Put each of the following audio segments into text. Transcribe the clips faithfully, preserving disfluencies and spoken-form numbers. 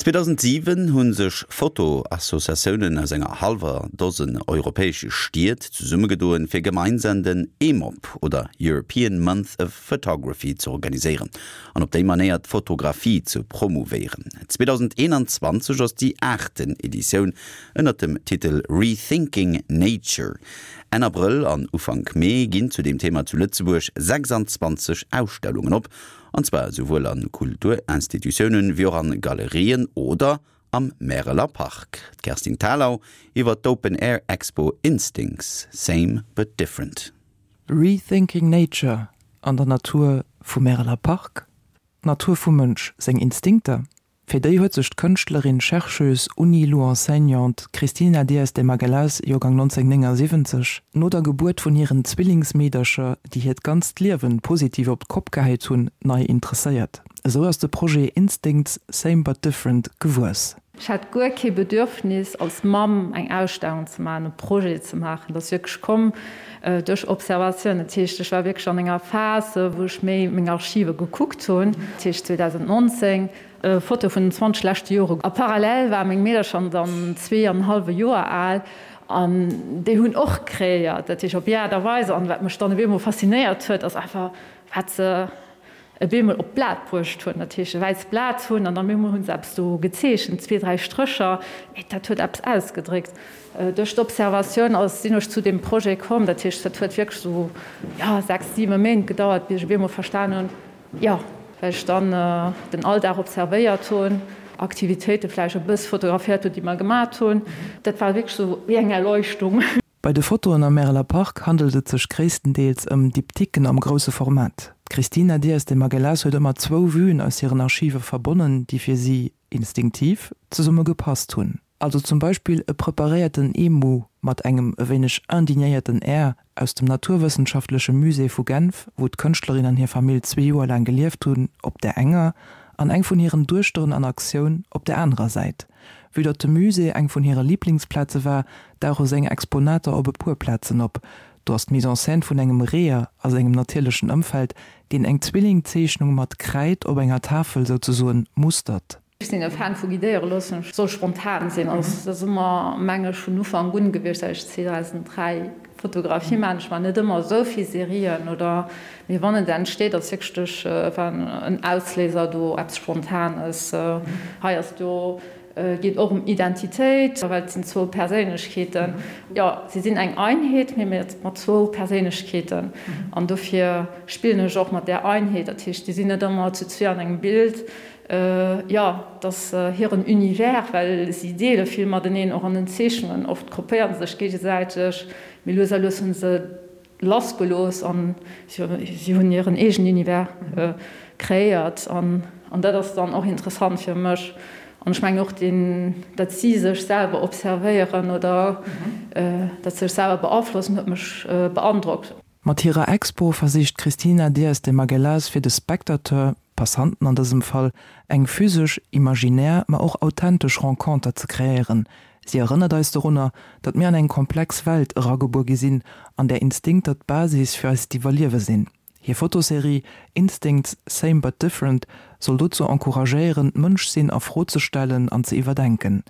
zweedausentsiwen hu sech Foto-Associatiounen aus enger hallwer Dosen europäesche Stied zesummegedoen, fir gemeinsam den EMOP oder European Month of Photography ze organiséieren an op déi Manéier d'Fotografie ze promouvéieren. zweedausendeenanzwanzeg ass déi aachten Editioun ënner dem Titel Rethinking Nature. Enn Abrëll an Ufank Mee ginn zu deem Thema zu Lëtzebuerg sechsanzwanzeg Ausstellungen op, an zwar esouwuel a Kulturinstitutiounen wéi och an Galerien oder am Märeler Park. D'Kerstin Thalau iwwer d'Open Air Expo Instincts, Same but Different. Rethinking Nature an der Natur vum Märeler Park? D'Natur vum Mënsch, seng Instinkter? Fir déi huet sech d'Kënschtlerin, Chercheuse, UniLu-Enseignante Cristina Dias de Magalhães, Joergang nonzénhunnertnéngasiwwenzeg, no der Gebuert vun hiren Zwillingsmeedercher, déi hiert ganzt Liewen positiv op d'Kopp gehäit hunn, nei interesséiert. Esou ass de Projet Instincts, Same but Different gewuess. Ech hat guer kee Bedürfnis als Mamm eng Ausstellung ze maachen, e Projet ze maachen. Dat ass wierklech komm duerch Observatioun. Dat heescht, ech war wierklech an enger Phas, wou ech méi meng Archive gekuckt hunn, dat heescht zweedausendnonzéng, Fotoe vun den zwanzeg leschte Jore. A parallel ware meng Meedercher dann zwee an e hallwe Joer al an déi hunn och kreéiert, dat heescht op hir Aart a Weis. An wat mech dann op eemol faszinéiert huet, ass einfach, wat se op eemol op d'Blat bruecht hunn, dat heescht e wäisst Blat hunn an dann op eemol hu se eppes do gezeechent, zwee, dräi Strécher, mee dat huet eppes ausgedréckt. Duerch d'Observatioun ass sinn ech zu deem Projet komm, dat heescht dat huet wierklech esou, jo, sechs, siwe Méint gedauert, bis ech op eemol verstan hunn, jo, well ech dann den Alldag observéiert hunn, Aktivitéite vläicht e bëss fotograféiert hunn, déi mer gemat hunn. Dat war wierklech esou wéi eng Erleuchtung. Bei de Fotoen am Märeler Park handelt et sech gréisstendeels ëm Diptyquen am grousse Format. D'Cristina Dias de Magalhães huet ëmmer zwou Vuen aus hiren Archive verbonnen, déi fir si, instinktiv, zesumme gepasst hunn. Also zum Beispill e preparéierten Emu mat engem e wéineg indignéierten Air aus dem Naturwëssenschaftleche Musée vu Genf, wou d'Kënschtlerin an hir Famill zwee Joer laang gelieft hunn, op där enger, an eng vun hiren Duechteren an Aktioun op där anerer Säit. Vue datt de Musée eng vun hire Liblingsplaze war, dauche seng Exponater op e puer Plazen op. Do ass d'Mise en scène vun engem Reeër a sengem natierlechen Ëmfeld, deen eng Zwillingzeechnung mat Kräid op enger Tafel souzesoen mustert. Ech sinn e Fan vu guidéiere loossen. Ech soll spontan sinn. Also dat ass ëmmer, meng ech, vun Ufank un gewiescht, säit ech zweedausenddräi Fotografie maachen. Ech maachen net ëmmer esou vill Serien oder, mee wann et entsteet, ass wierklech duerch en Ausléiser do eppes Spontanes. Hei ass do geet och ëm Identitéit, well et sinn zwou Perséinlechkeeten. Jo, si sinn eng Einheet, mee mat zwou Perséinlechkeeten. An dofir spillen ech och mat där Einheet. Dat heescht, déi sinn net ëmmer zu zwee an engem Bild. Jo, et ass hiren Univers, well si deele vill mateneen, och an den Zeechnungen. Oft kopéiere se sech géigesäiteg, mee lues a lues hu se lassgelooss an si hunn hiren eegenen Univers kreéiert. An dat ass dann och interessant fir mech. An ech mengen och, datt si sech selwer observéieren oder datt se sech selwer beaflossen, huet mech beandrockt. Mat hirer Expo versicht d'Cristina Dias de Magalhães fir de Spectateur, Passanten an dësem Fall, eng physesch, imaginär, ma och authentesch Renconter ze kreéieren. Si erënnert eis dorunner, datt mir an eng komplex Welt eragebuer gi sinn, an där Instinkter d'Basis fir eist Iwwerliewe sinn. Hir Fotoserie Instincts, Same but Different soll dozou encouragéieren, d'Mënschsinn a Fro ze stellen an ze iwwerdenken.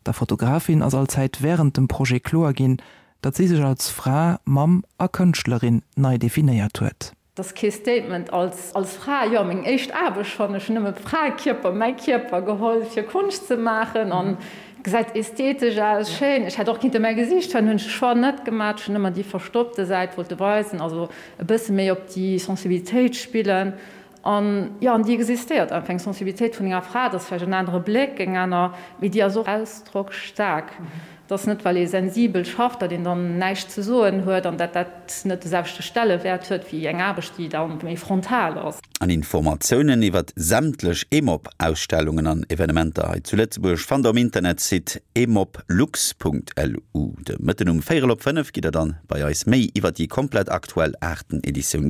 Der Fotografin ass allzäit wärend dem Projet kloer ginn, datt si sech als Fra, Mamm a Kënschtlerin nei definéiert huet. Et ass kee Statement als als Fra, jo, meng éischt Aarbecht schonn, ech hunn nëmme Fraekierper, mäi Kierper geholl fir Konscht ze maachen an gesäit ästhetesch aus, schéin. Ech hätt och kinnte mäi Gesiicht weisen, hunn ech de Choix net gemaach, ech hunn ëmmer déi verstoppte Säit wollte weisen, also e bësse méi op déi Sensibilitéit spillen. An jo, an déi existéiert einfach, eng Sensibilitéit vun enger Fra, dat ass vläicht en anere Bléck, eng aner, mee déi ass och ausdrocksstaark. Et ass net, well ee sensibel schafft, datt een dann näischt ze soen huet an datt dat net de selwechte Stellewäert huet wéi eng Aarbecht, déi da méi frontal ass. An Informatiounen iwwert sämtlech EMOP-Ausstellungen an Evenementer hei zu Lëtzebuerg fannt der um Internetsite emoplux.lu. De Mëtten um véierel op fënnef gitt der dann bei eis méi iwwert déi komplett aktuell aachten Editioun gewuer.